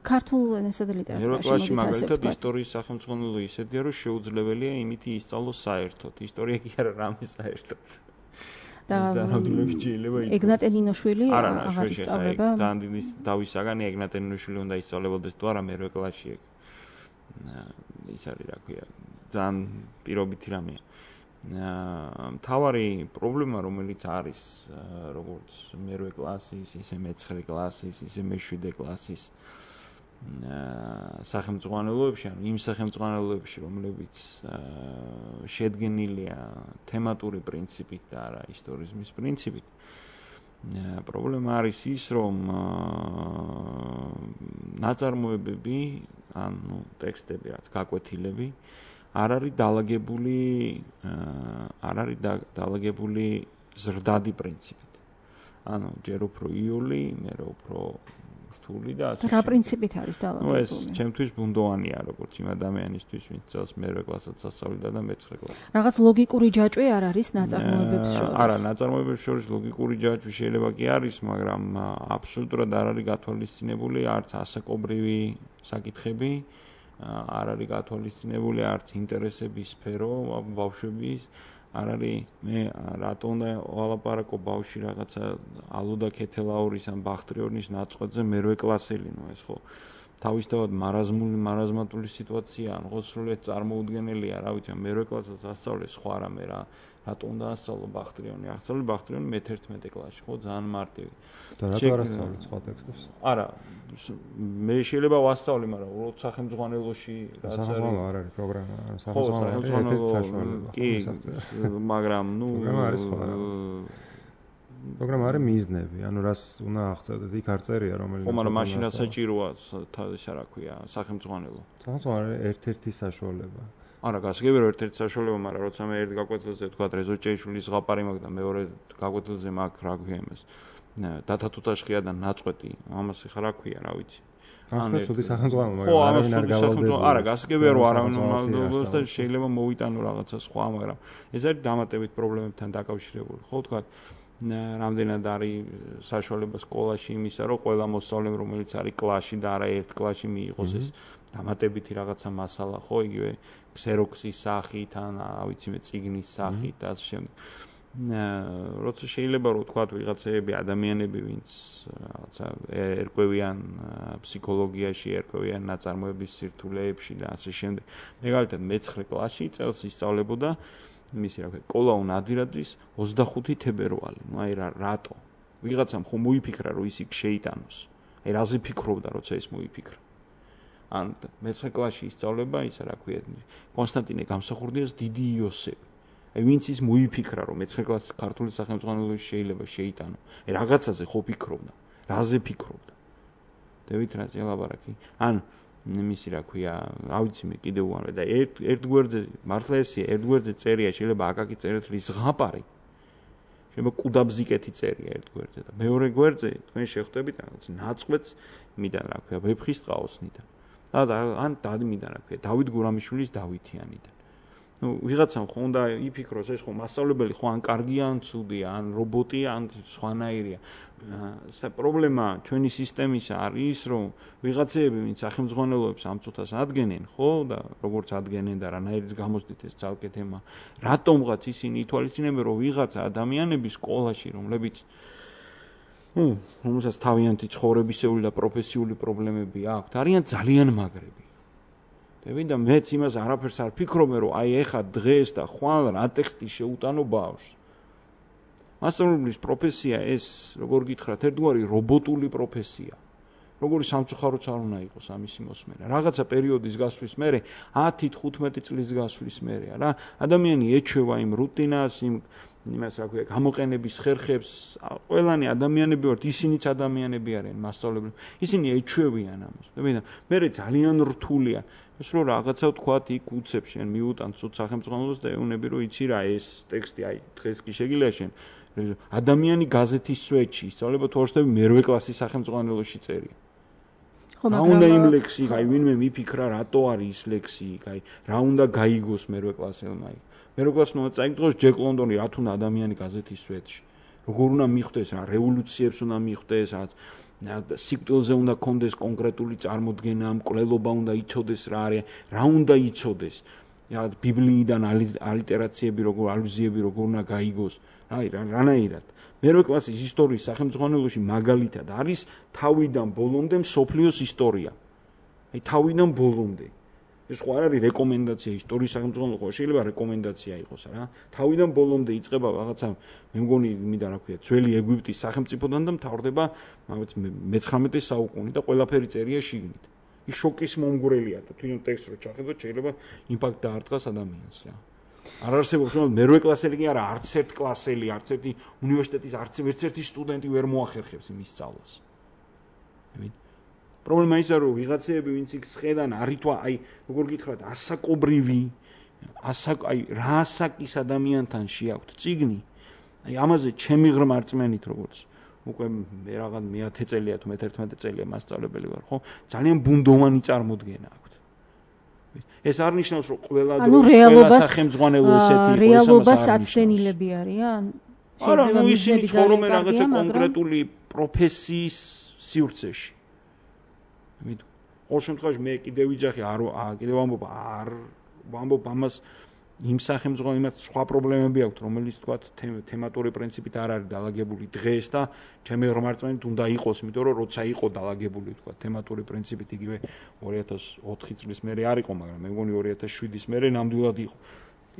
ქართულ ენასა და ლიტერატურაში. ეროვნულ მაგალითად ისტორიის სახელმძღვანელო ისეთია, რომ შეუძლებელია იმითი ისწავლოს საერთოდ. ისტორია კი არა, რამე საერთოდ. და ეგნატე ნინოშვილი აღარ ისწავლება. ძალიან დიდი დავის საგანი ეგნატე ნინოშვილი უნდა ისწავლებოდეს თუ არა მე-8 კლასში ეგ. ის არის რა ქვია, ძალიან პირობითი რამეა. მთავარი პრობლემა რომელიც არის როგორც მერვე კლასის, ისე მე-9 კლასის, ისე მე-7 კლასის სახელმძღვანელოებში, ანუ იმ სახელმძღვანელოებში, რომლებიც შედგენილია თემატური პრინციპით და არა ისტორიზმის პრინციპით. პრობლემა არის ის, რომ ნაწარმოებები, ანუ ტექსტები, რაც გაკვეთილები არ არის დალაგებული ზრდადი პრინციპით. ანუ ჯერ უფრო იოლი, მერე უფრო რთული და ასე. რა პრინციპით არის დალაგებული? ეს ჩემთვის ბუნდოვანია, როგორც იმ ადამიანისთვის, ვინც წელს მერვე კლასაც ასწავლიდა და მე-9 კლასს. რაღაც ლოგიკური ჯაჭვი არ არის ნაწარმოებებს შორის. არა, ნაწარმოებებს შორის ლოგიკური ჯაჭვი შეიძლება კი არის, მაგრამ აბსოლუტურად არ არის გათვალისწინებული არც ასაკობრივი საკითხები. არ არის გათვალისწინებული არც ინტერესების სფერო ბავშვების, არ არის მე რატო უნდა ვალაპარაკო ბავშვი რაღაცა ალუდა ქეთელაურის ან ბახტრიონის ნაწყვეტზე მერვე კლასელი, ეს ხო თავისთავად მარაზმატული სიტუაციაა, ხო სრულიად წარმოუდგენელია, რა ვიცი, მერვე კლასაც ასწავლე სხვა რამე რა. რატო უნდა ასწავლო ბახტრიონი? ასწავლე ბახტრიონი მე-11 კლასში, ხო, ძალიან მარტივი. და რატო არ ასწავლე სხვა ტექსტებს? არა, მე შეიძლება ვასწავლე, მაგრამ უბრალოდ სახელმძღვანელოში რაც არის. არ არის პროგრამა, სახელმძღვანელო კი, მაგრამ პროგრამა არის მიზნები, ანუ რას უნდა აღწევდეთ, იქ არ წერია რომელიც. ხო, მაგრამ მაშინ საჭიროა ისა რა ქვია, სახელმძღვანელო. სახელმძღვანელო ერთ-ერთი საშუალება. არა, გასაგებია ერთ-ერთი საშუალება, მაგრამ როცა მე ერთ გაკვეთილზე ვთქვა რეზოჭეიშვილის ზღაპარი მაქვს და მეორე გაკვეთილზე მაქვს რა ქვია იმას. დათათუთაშხია და ნაწყვეტი, ამას ხა რა ქვია, რა ვიცი. ანუ ცუდი სახელმძღვანელო, მაგრამ არავინ არ გავალდება. არა, გასაგებია რომ არავინ უნდა და შეიძლება მოვიტანო რაღაცა სხვა, მაგრამ ეს არის დამატებით პრობლემებთან დაკავშირებული. ხო თქვა, რამდენად არის საშუალება სკოლაში იმისა, რომ ყველა მოსწავლემ რომელიც არის კლასში და არა ერთ კლასში მიიღოს ეს დამატებითი რაღაცა მასალა, ხო, იგივე ქსეროქსის სახით ან რა ვიცი მე წიგნის სახით და ასე შემდეგ. როცა შეიძლება რომ თქვა ვიღაცები ადამიანები ვინც რაღაცა ერკვევიან ფსიქოლოგიაში, ერკვევიან ნაწარმოების სირთულეებში და ასე შემდეგ. მაგალითად მე-9 კლასში წელს ისწავლებოდა იმისი რა ქვია, კოლაუ ნადირაძის 25 თებერვალი. აი რატო? ვიღაცამ ხომ მოიფიქრა რომ ის იქ შეიტანოს. აი რაზე ფიქრობდა როცა ის მოიფიქრა? ან მე-9 კლასში ისწავლება ისა რა ქვია, კონსტანტინე გამსახურდიას დიდი იოსები. აი ვინც ის მოიფიქრა რომ მე-9 კლასის ქართული სახელმძღვანელოში შეიძლება შეიტანო. აი რაღაცაზე ხო ფიქრობდა? რაზე ფიქრობდა? დევით რაზე ლაბარაკი? ან იმისი რა ქვია, რა ვიცი მე კიდევ უამრავი და ერთ გვერდზე მართლა ესია, ერთ გვერდზე წერია, შეიძლება აკაკი წერეთ რის ზღაპარი. შეიძლება კუდაბზიკეთი წერია ერთ გვერდზე და მეორე გვერდზე თქვენ შეხვდებით რაღაც ნაწყვეტს მიდან რა ქვია, ვეფხისტყაოსნიდან. და ან დადმიდან რა ქვია, დავით გურამიშვილის დავითიანიდან. ვიღაცამ ხო უნდა იფიქროს ეს ხო მასწავლებელი ხო ან კარგია ან ცუდია, ან რობოტია, ან სხვანაირია. პრობლემა ჩვენი სისტემისა არის, რომ ვიღაცები ვინც სახელმძღვანელოებს ამ წუთას ადგენენ, ხო და როგორც ადგენენ და რანაირიც გამოსდით ეს ძალკე თემა, რატომღაც ისინი ითვალისწინებენ, რომ ვიღაცა ადამიანები სკოლაში, რომლებიც რომელსაც თავიანთი ცხოვრებისეული და პროფესიული პრობლემები აქვთ, არიან ძალიან მაგრები. და მეც იმას არაფერს არ ფიქრობ, რომ აი ეხა დღეს და ხვალ რა ტექსტი შეუტანო ბავშვს. მასწავლებლის პროფესია ეს, როგორ გითხრათ, ერთგვარი რობოტული პროფესია. როგორი სამწუხაროც არ უნდა იყოს ამისი მოსმენა. რაღაცა პერიოდის გასვლის მერე, 10-15 წლის გასვლის მერე რა, ადამიანი ეჩვევა იმ რუტინას, იმას რა ქვია, გამოყენების ხერხებს, ყველანი ადამიანები ვართ, ისინიც ადამიანები არიან მასწავლებლები. ისინი ეჩვევიან ამას. მე ძალიან რთულია. ეს რომ რაღაცა ვთქვათ, იქ უცებ შენ მიუტან ცუდ სახელმძღვანელოს და ეუნები რომ იცი რა ეს ტექსტი, აი დღეს კი შეგიძლია შენ ადამიანი გაზეთის სვეტში ისწავლება თუ ორსტები მერვე კლასის სახელმძღვანელოში წერია. რა უნდა იმ ლექსი, აი ვინმე მიფიქრა რატო არის ის ლექსი, აი რა უნდა გაიგოს მერვე კლასელმა იქ. მერვე კლასმა უნდა წაიგდოს ჯეკ ლონდონი რა თუნდა ადამიანი გაზეთის სვეტში. როგორ უნდა მიხვდეს რა რევოლუციებს უნდა მიხვდეს რაც სიკვდილზე უნდა კონდეს კონკრეტული წარმოდგენა, მკვლელობა უნდა იცოდეს რა არის, რა უნდა იცოდეს. ბიბლიიდან ალიტერაციები როგორ ალუზიები როგორ უნდა გაიგოს. აი რანაირად. მერვე კლასის ისტორიის სახელმძღვანელოში მაგალითად არის თავიდან ბოლომდე მსოფლიოს ისტორია. აი თავიდან ბოლომდე. ეს ხო არ არის რეკომენდაცია ისტორიის სახელმწიფო ხო შეიძლება რეკომენდაცია იყოს რა თავიდან ბოლომდე იწყება რაღაცა მე მგონი მინდა რა ქვია ძველი ეგვიპტის სახელმწიფოდან და მთავრდება მე-19 საუკუნე და ყველაფერი წერია შიგნით ის შოკის მომგვრელია და თვითონ ტექსტს რო ჩახედოთ შეიძლება იმპაქტ დაარტყას ადამიანს რა არ არსებობს რომ მერვე კლასელი კი არა არც ერთ კლასელი არც ერთი უნივერსიტეტის არც ერთი სტუდენტი ვერ მოახერხებს იმის სწავლას პრობლემა ისაა რომ ვიღაცეები ვინც იქ ხედან არითვა აი როგორ გითხრათ ასაკობრივი აი რა ასაკის ადამიანთან შეაქვთ წიგნი აი ამაზე ჩემი ღრმა რწმენით როგორც უკვე მე რაღაც მე-10 წელია თუ მე-11 წელია მასწავლებელი ვარ ხო ძალიან ბუნდოვანი წარმოდგენა აქვს ეს არ ნიშნავს რომ ყველა სახელმძღვანელო ესეთი რეალობას აცდენილები არიან არა ნუ ისინი ცხოვრობენ რაღაცა კონკრეტული პროფესიის სივრცეში მით ყოველ შემთხვევაში მე კიდევ ვიძახი კიდევ ვამბობ ამას იმ სახელმწიფო იმათ სხვა პრობლემები აქვს რომელიც თქვა თემატური პრინციპით არ არის დაალაგებული დღეს და ჩემი ღრმარწმენით უნდა იყოს იმიტომ რომ როცა იყო დაალაგებული თქვა თემატური პრინციპით იგივე 2004 წლის მერე არ იყო მაგრამ მე მგონი 2007-ის მერე ნამდვილად იყო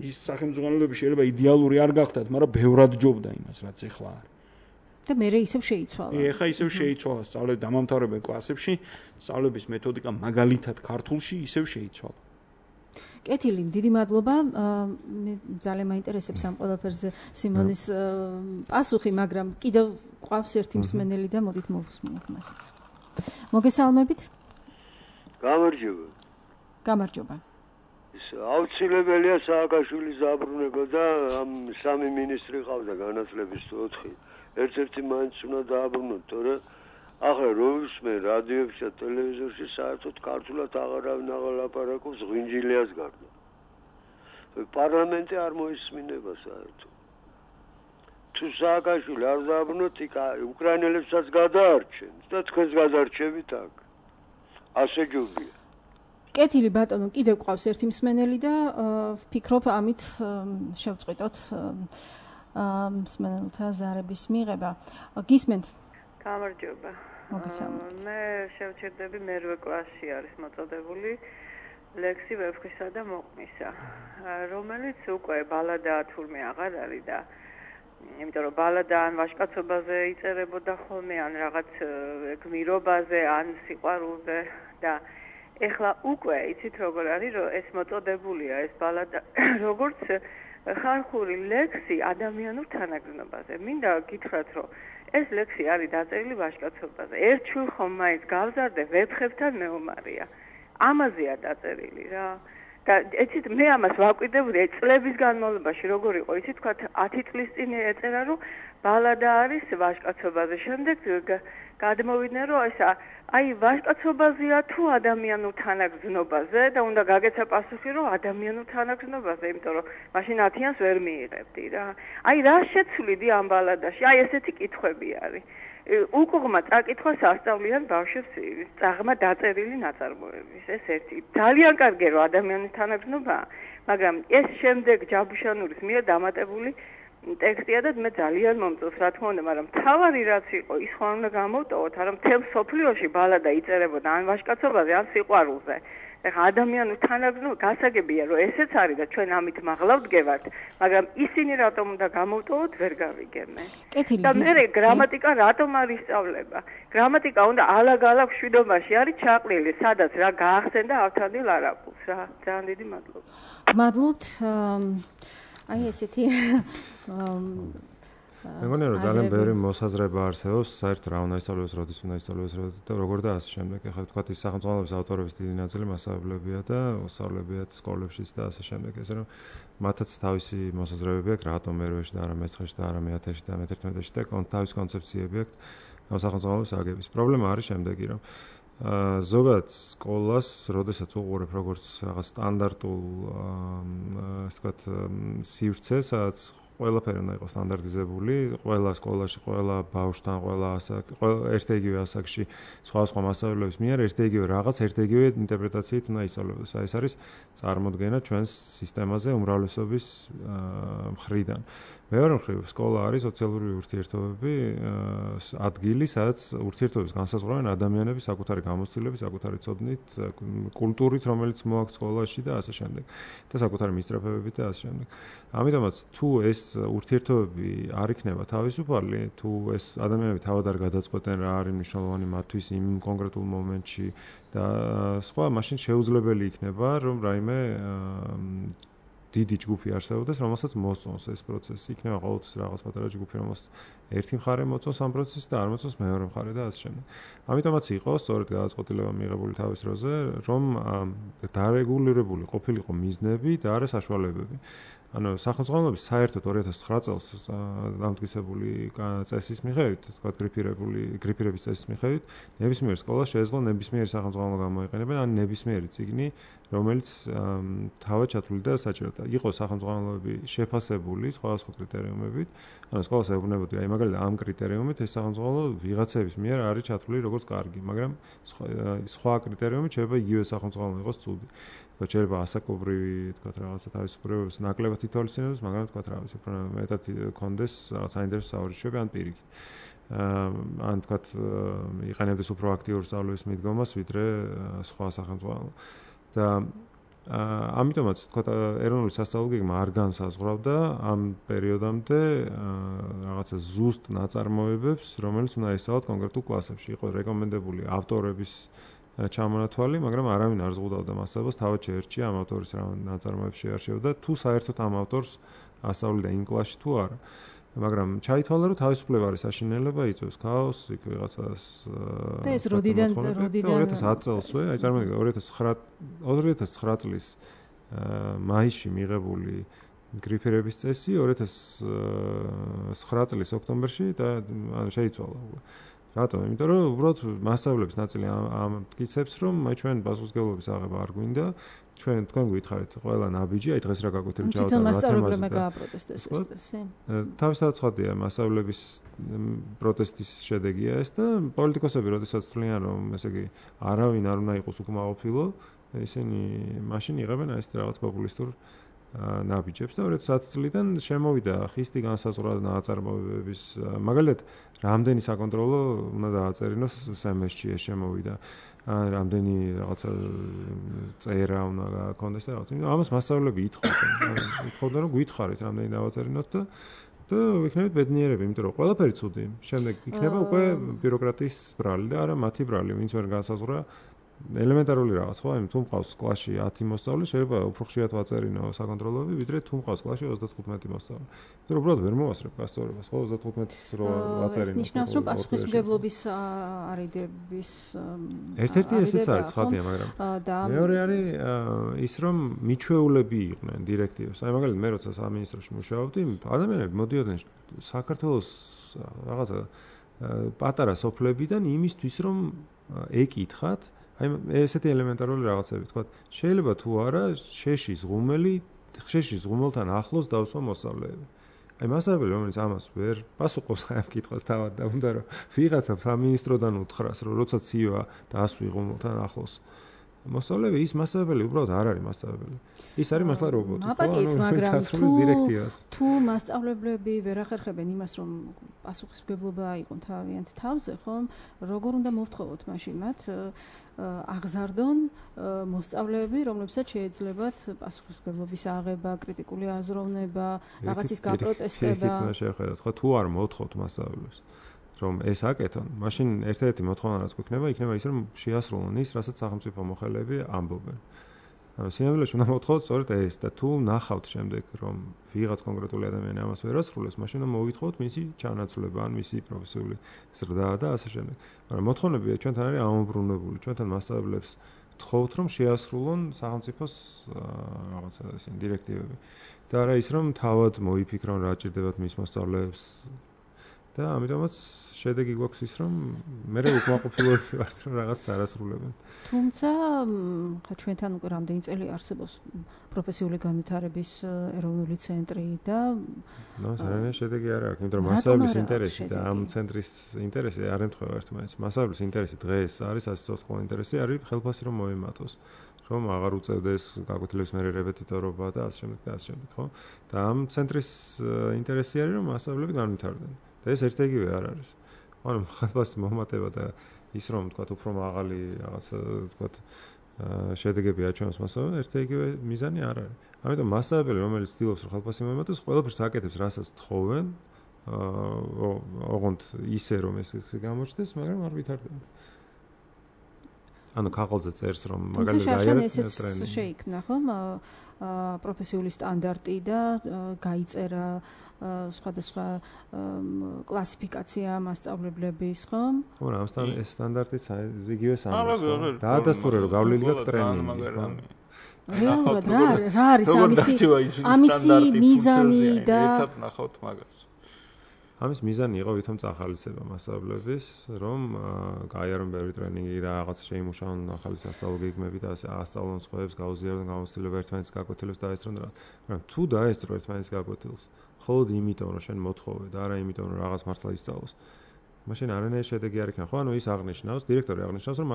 ის სახელმწიფოები შეიძლება იდეალური არ გახდათ მაგრამ ბევრად ჯობდა იმას რაც ეხლა არის და მე ისევ შეიცვალა. ეხა ისევ შეიცვალა სწავლების დამამთავრებელ კლასებში, სწავლების მეთოდიკა მაგალითად ქართულში ისევ შეიცვალა. კეთილი, დიდი მადლობა. მე ძალიან მაინტერესებს ამ ყველაფერზე სიმონის პასუხი, მაგრამ კიდევ ყავს ერთი მსმენელი და მოდით მოვუსმინოთ მასიც. მოგესალმებით? გამარჯობა. გამარჯობა. აუცილებელია სააკაშვილის დაბრუნება და ამ სამი მინისტრი ყავდა განათლების 4. ერთ-ერთი მაინც უნდა დააბრუნოთ, თორე ახლა როვისმე რადიოებში და ტელევიზორში საერთოდ ქართულად აღარავინ აღალაპარაკობს ღვინჯილიას გარდა. პარლამენტი არ მოისმინება საერთოდ. თუ სააკაშვილი არ დააბრუნოთ, უკრაინელებსაც გადაარჩენს და თქვენს გადარჩებით აქ. ასე ჯობია. კეთილი ბატონო, კიდევ ყავს ერთი მსმენელი და ვფიქრობ ამით შევწყვიტოთ მსმენელთა ზარების მიღება. გისმენთ? გამარჯობა. მოგესალმებით. მე შევჩერდები მერვე კლასში არის მოწოდებული ლექსი ვეფხვისა და მოყმისა, რომელიც უკვე ბალადაა თურმე აღარ არის და იმიტომ რომ ბალადა ან ვაჟკაცობაზე იწერებოდა ხოლმე ან რაღაც გმირობაზე ან სიყვარულზე და ეხლა უკვე იცით როგორ არის რომ ეს მოწოდებულია ეს ბალადა როგორც ხალხური ლექსი ადამიანურ თანაგრძნობაზე. მინდა გითხრათ რომ ეს ლექსი არის დაწერილი ვაჟკაცობაზე. ერთ შვილ ხომ მაინც გავზარდე ვეფხებთან მეომარია. ამაზეა დაწერილი რა. და იცით მე ამას ვაკვირდებოდი წლების განმავლობაში როგორ იყო იცით თქვა 10 წლის წინ ეწერა რომ ბალადა არის ვაჟკაცობაზე. შემდეგ გადმოვიდნენ რომ ესა აი ვაჟკაცობაზეა თუ ადამიანურ თანაგრძნობაზე და უნდა გაგეცა პასუხი რომ ადამიანურ თანაგრძნობაზე, იმიტომ რომ მაშინ 10-იანს ვერ მიიღებდი რა. აი რა შეცვლიდი ამ ბალადაში? აი ესეთი კითხვები არის. უკუღმა წაკითხვას ასწავლიან ბავშვებს წაღმა დაწერილი ნაწარმოების. ეს ერთი ძალიან კარგია რომ ადამიანის თანაგრძნობაა, მაგრამ ეს შემდეგ ჯაბუშანურის მიერ დამატებული ტექსტია და მე ძალიან მომწონს რა თქმა უნდა, მაგრამ თავარი რაც იყო ის ხო არ უნდა გამოვტოვოთ, არა მთელ სოფლიოში ბალადა იწერებოდა ან ვაჟკაცობაზე ან სიყვარულზე. ეხლა ადამიანურ თანაგრძნობა გასაგებია რომ ესეც არის და ჩვენ ამით მაღლა ვდგევართ, მაგრამ ისინი რატომ უნდა გამოვტოვოთ ვერ გავიგებენ. და მე გრამატიკა რატომ არ ისწავლება? გრამატიკა უნდა ალაგ-ალაგ მშვიდობაში არის ჩაყრილი, სადაც რა გაახსენდა ავთანდილ არაბულს რა. ძალიან დიდი მადლობა. მადლობთ. აი ესეთი მე მგონი რომ ძალიან ბევრი მოსაზრება არსებობს საერთოდ რა უნდა ისწავლოს, როდის უნდა ისწავლოს და როგორ და ასე შემდეგ. ეხლა თქვა ის სახელმწიფოების ავტორების დიდი ნაწილი მასწავლებელია და უსწავლებიათ სკოლებშიც და ასე შემდეგ. ესე რომ მათაც თავისი მოსაზრებები აქვს, რატომ მერვეში და არა მე-9-ში და არა მე-10-ში და მე-11-ში და თავისი კონცეფციები აქვს ამ სახელმწიფოების აგების. პრობლემა არის შემდეგი, რომ ზოგადად სკოლას, როდესაც უყურებ როგორც რაღაც სტანდარტულ ასე ვთქვათ სივრცეს, სადაც ყველაფერი უნდა იყოს სტანდარტიზებული, ყველა სკოლაში, ყველა ბავშვთან, ყველა ერთ-იგივე ასაკში სხვა მასწავლებლების მიერ ერთ-იგივე რაღაც, ერთ-იგივე ინტერპრეტაციით უნდა ისწავლოს. ეს არის წარმოდგენა ჩვენს სისტემაზე უმრავლესობის მხრიდან. მეორე მხრივ სკოლა არის სოციალური ურთიერთობები ადგილი, სადაც ურთიერთობებს განსაზღვრავენ ადამიანები საკუთარი გამოცდილების, საკუთარი ცოდნით, კულტურით, რომელიც მოაქვს სკოლაში და ასე შემდეგ. და საკუთარი მისწრაფებებით და ასე შემდეგ. ამიტომაც თუ ეს ურთიერთობები არ იქნება თავისუფალი, თუ ეს ადამიანები თავად არ გადაწყვეტენ რა არის მნიშვნელოვანი მათთვის იმ კონკრეტულ მომენტში და სხვა, მაშინ შეუძლებელი იქნება, რომ რაიმე დიდი ჯგუფი არსებობდეს, რომელსაც მოსწონს ეს პროცესი. იქნება ყოველთვის რაღაც პატარა ჯგუფი, რომელსაც ერთი მხარე მოწონს ამ პროცესს და არ მოწონს მეორე მხარე და ასე შემდეგ. ამიტომაც იყო სწორედ გადაწყვეტილება მიღებული თავის დროზე, რომ დარეგულირებული ყოფილიყო მიზნები და არა საშუალებები. ანუ სახელმწიფოების საერთოდ 2009 წელს დამტკიცებული წესის მიხედვით, თქვა გრიფირების წესის მიხედვით, ნებისმიერ სკოლას შეეძლო ნებისმიერი სახელმწიფო გამოიყენებენ, ან ნებისმიერი წიგნი, რომელიც თავად ჩათვლილი და საჭიროა. იყო სახელმწიფოები შეფასებული სხვადასხვა კრიტერიუმებით, ანუ სკოლას ეუბნებოდი, აი მაგალითად ამ კრიტერიუმით ეს სახელმწიფო ვიღაცების მიერ არის ჩათვლილი როგორც კარგი, მაგრამ სხვა კრიტერიუმით შეიძლება იგივე სახელმწიფო იყოს ცუდი. შეიძლება ასაკობრივი, თქვა რაღაცა თავისუფლებას ნაკლებად ითვალისწინებდეს, მაგრამ თქვა რაღაცა უფრო მეტად კონდეს რაღაც საინტერესო საუბრიშები ან პირიქით. ან თქვა იყენებდეს უფრო აქტიურ სწავლების მიდგომას, ვიდრე სხვა სახელმწიფო. და ამიტომაც თქვა ეროვნული სასწავლო გეგმა არ განსაზღვრავდა ამ პერიოდამდე რაღაცა ზუსტ ნაწარმოებებს, რომელიც უნდა ესწავლათ კონკრეტულ კლასებში. იყო რეკომენდებული ავტორების ჩამონათვალი, მაგრამ არავინ არ ზღუდავდა მასწავლებას, თავად შეერჩია ამ ავტორის რა ნაწარმოებს შეარჩიოდა, თუ საერთოდ ამ ავტორს ასწავლიდა იმ კლასში თუ არა. მაგრამ ჩაითვალა, რომ თავისუფლება არის საშინელება, იწვევს ქაოსს, იქ ვიღაცას და ეს როდიდან 2010 წელსვე, აი წარმოგიდგენთ 2009 წლის მაისში მიღებული გრიფირების წესი 2009 წლის ოქტომბერში და ანუ შეიცვალა. რატომ? იმიტომ რომ უბრალოდ მასშტაბების ნაწილი ამტკიცებს, რომ ჩვენ პასუხისმგებლობის აღება არ გვინდა, თქვენ გითხარით ყველა ნაბიჯი, აი დღეს რა გაგვეთებ ჯავდა თვითონ მასშტაბებმა გააპროტესტეს ეს წესი. თავისთავად ცხადია, მასშტაბების პროტესტის შედეგია ეს და პოლიტიკოსები როდესაც თვლიან, რომ ესე იგი არავინ არ უნდა იყოს უკმაყოფილო, ისინი მაშინ იღებენ ეს რაღაც პოპულისტურ ნაბიჯებს და 2010 წლიდან შემოვიდა ხისტი განსაზღვრა ნაწარმოებების მაგალითად რამდენი საკონტროლო უნდა დააწერინოს SMS-ში ეს შემოვიდა რამდენი რაღაცა წერა უნდა გაქონდეს და რაღაც ამას მასწავლებლები ითხოვდნენ რომ გითხარით რამდენი დავაწერინოთ და ვიქნებით ბედნიერები იმიტომ რომ ყველაფერი ცუდი შემდეგ იქნება უკვე ბიუროკრატიის ბრალი და არა მათი ბრალი ვინც ვერ განსაზღვრა ელემენტარული რაღაც ხო იმ თუ მყავს კლასში 10 მოსწავლე შეიძლება უფრო ხშირად ვაწერინო საკონტროლოები ვიდრე თუ მყავს კლასში 35 მოსწავლე. იმიტომ რომ უბრალოდ ვერ მოვასწრებ გასწორებას ხო 35-ს რო ვაწერინო. ეს ნიშნავს რომ პასუხისმგებლობის არიდების ერთ-ერთი ესეც არის ცხადია მაგრამ მეორე არის ის რომ მიჩვეულები იყვნენ დირექტივებს. აი მაგალითად მე როცა სამინისტროში მუშაობდი ადამიანები მოდიოდნენ საქართველოს რაღაცა პატარა სოფლებიდან იმისთვის რომ ეკითხათ აი ესეთი ელემენტარული რაღაცები თქვა შეიძლება თუ არა შეშის ღუმელთან ახლოს დავსვა მოსწავლეები აი მასწავლებელი რომელიც ამას ვერ პასუხობს ამ კითხვას თავად და უნდა რომ ვიღაცა სამინისტროდან უთხრას რომ როცა ცივა და ასვი ღუმელთან ახლოს მოსწავლეები ის მასწავლებელი უბრალოდ არ არის მასწავლებელი ის არის მართლა რობოტი აპატიეთ მაგრამ თუ მასწავლებლები ვერ ახერხებენ იმას რომ პასუხისმგებლობა აიღონ თავიანთ თავზე ხომ როგორ უნდა მოვთხოვოთ მაშინ მათ აღზარდონ მოსწავლეები რომლებსაც შეეძლებათ პასუხისმგებლობის აღება კრიტიკული აზროვნება რაღაცის გაპროტესტება ეხლა შეხედოთ ხო თუ არ მოთხოვთ მასწავლებლებს რომ ეს აკეთონ, მაშინ ერთ-ერთი მოთხოვნა რაც გვექნება, იქნება ის რომ შეასრულონ ის, რასაც სახელმწიფო მოხელეები ამბობენ. სინამდვილეში უნდა მოთხოვოთ სწორედ ეს და თუ ნახავთ შემდეგ რომ ვიღაც კონკრეტული ადამიანი ამას ვერ ასრულებს, მაშინ უნდა მოვითხოვოთ მისი ჩანაცვლება ან მისი პროფესიული ზრდა და ასე შემდეგ. მაგრამ მოთხოვნები ჩვენთან არის ამობრუნებული, ჩვენთან მასწავლებლებს თხოვთ რომ შეასრულონ სახელმწიფოს რაღაცა ისინი დირექტივები. და არა ის რომ თავად მოიფიქრონ რა ჭირდებათ მის მოსწავლეებს და ამიტომაც შედეგი გვაქვს ის რომ მე უკმაყოფილოები ვართ რომ რაღაც არასრულებენ. თუმცა ხა ჩვენთან უკვე რამდენი წელი არსებობს პროფესიული განვითარების ეროვნული ცენტრი და ზოგადად შედეგი არ აქვს, იმიტომ რომ მასშტაბის ინტერესი და ამ ცენტრის ინტერესი არ ემთხვევა ერთმანეთს. მასშტაბის ინტერესი დღეს არის ასე ცოტა ინტერესი არის ხელფასი რომ მოემატოს. რომ აღარ უწევდეს გაკვეთილების მერე რეპეტიტორობა და ასე შემდეგ და ასე შემდეგ, ხო? და ამ ცენტრის ინტერესი არის რომ მასწავლებლები განვითარდნენ. და ეს ერთ-ერთი არ არის. ანუ ხალხის მომატება და ის რომ თქვა უფრო მაღალი რაღაცა თქვა შედეგები აჩვენოს მასწავლებლებს, ერთ-ერთი მიზანი არ არის. ამიტომ მასწავლებელი რომელიც ცდილობს რომ ხალხს მომატოს, ყველაფერს აკეთებს, რასაც თხოვენ, ოღონდ ისე რომ ეს გამოჩნდეს, მაგრამ არ ვითარდება. ანუ ქაღალდზე წერს რომ მაგალითად გაიარეთ ტრენინგი შეიქმნა ხომ პროფესიული სტანდარტი და გაიწერა სხვადასხვა კლასიფიკაცია მასწავლებლების ხომ? ხო, რა ეს სტანდარტიც იგივე სამს. დაადასტურე რომ გავლილი გაქვს ტრენინგი. რეალურად რა არის ამისი მიზანი და ერთად ნახავთ მაგას. ამის მიზანი იყო ვითომ წახალისება მასწავლებლების, რომ გაიარონ ბევრი ტრენინგი და რაღაც შეიმუშაონ ახალი სასწავლო გეგმები და ასე ასწავლონ სხვაებს, გაუზიარონ გამოცდილება ერთმანეთის გაკვეთილებს და ესწრონ რა. მაგრამ თუ დაესწრო ერთმანეთის გაკვეთილს, მხოლოდ იმიტომ რომ შენ მოთხოვე და არა იმიტომ რომ რაღაც მართლა ისწავლოს. მაშინ არანაირი შედეგი არ იქნება. ხო, ანუ ის აღნიშნავს, დირექტორი აღნიშნავს, რომ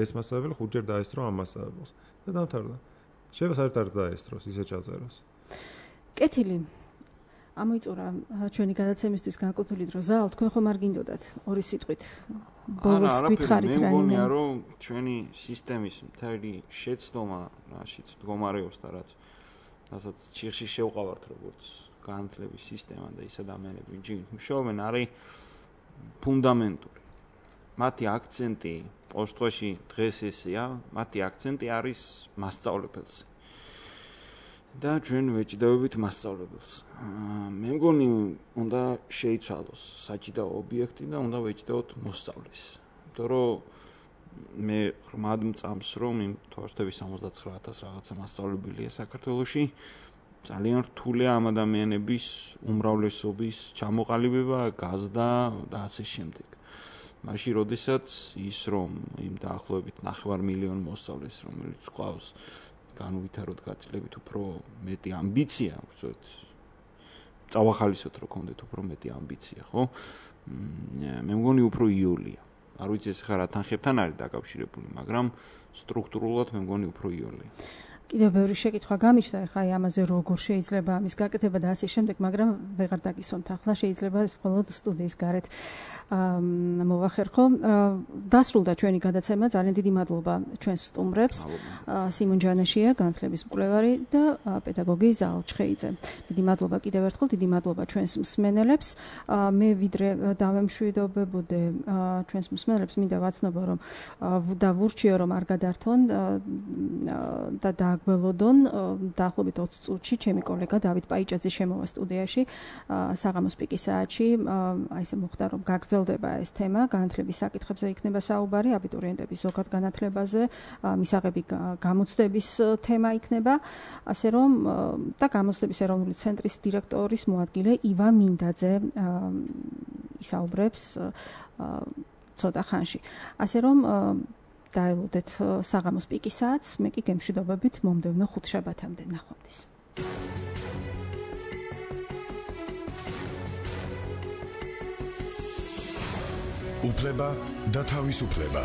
ეს მასწავლებელი 5ჯერ დაესწრო ამ მასწავლებელს და დამთავრდა. შეიძლება საერთოდ არ დაესწროს, ისე ჩაწეროს. კეთილი. ამოიწურა ჩვენი გადაცემისთვის განკუთვნილი დრო. ზალ, თქვენ ხომ არ გინდოდათ ორი სიტყვით ბოლოს გითხარით რაიმე? მე მგონია რომ ჩვენი სისტემის მთელი შეცდომა რაშიც მდგომარეობს და რასაც ჩიხში შევყავართ როგორც განათლების სისტემა და ის ადამიანები ვინც მუშაობენ არის ფუნდამენტური. მათი აქცენტი პოსტოში დღეს ესეა, მათი აქცენტი არის მასწავლებელზე. და ჩვენ ვეჭდებით მასწავლებელს. მე მგონი უნდა შეიცვალოს საჭიდაო ობიექტი და უნდა ვეჭდოთ მოსწავლეს. იმიტომ რომ მე ღრმად მწამს რომ იმ თორსტების 69000 რაღაცა მასწავლებელია საქართველოში ძალიან რთულია ამ ადამიანების უმრავლესობის ჩამოყალიბება, გაზრდა და ასე შემდეგ. მაშინ როდესაც ის რომ იმ დაახლოებით 9,5 მოსწავლეს რომელიც ყავს განუვითაროთ გაწლებით უფრო მეტი ამბიცია, ვთქვათ, წავახალისოთ რომ გქონდეთ უფრო მეტი ამბიცია, ხო? მე მგონი უფრო იოლია. არ ვიცი ეს ხარ რა თანხებთან არის დაკავშირებული, მაგრამ სტრუქტურულად მე მგონი უფრო იოლია. კიდევ ბევრი შეკითხვა გამიჩნდა, ხა აი ამაზე როგორ შეიძლება ამის გაკეთება და ასე შემდეგ, მაგრამ ვეღარ დაგისვამთ ახლა, შეიძლება ეს მხოლოდ სტუდიის გარეთ მოვახერხო. დასრულდა ჩვენი გადაცემა, ძალიან დიდი მადლობა ჩვენს სტუმრებს. სიმონ ჯანაშია, განათლების მკვლევარი და პედაგოგი ზაალ ჩხეიძე. დიდი მადლობა კიდევ ერთხელ, დიდი მადლობა ჩვენს მსმენელებს. მე ვიდრე დავემშვიდობებოდე ჩვენს მსმენელებს, მინდა ვაცნობო რომ და ვურჩიო რომ არ გადართონ და გველოდონ დაახლოებით 20 წუთში ჩემი კოლეგა დავით პაიჭაძე შემოვა სტუდიაში საღამოს პიკის საათში აი ესე მოხდა რომ გაგრძელდება ეს თემა განათლების საკითხებზე იქნება საუბარი აბიტურიენტების ზოგად განათლებაზე მისაღები გამოცდების თემა იქნება ასე რომ და გამოცდების ეროვნული ცენტრის დირექტორის მოადგილე ივა მინდაძე ისაუბრებს ცოტა ხანში ასე რომ დაელოდეთ საღამოს პიკის საათს, მე კი გემშვიდობებით მომდევნო ხუთშაბათამდე ნახვამდის. უფლება და თავისუფლება.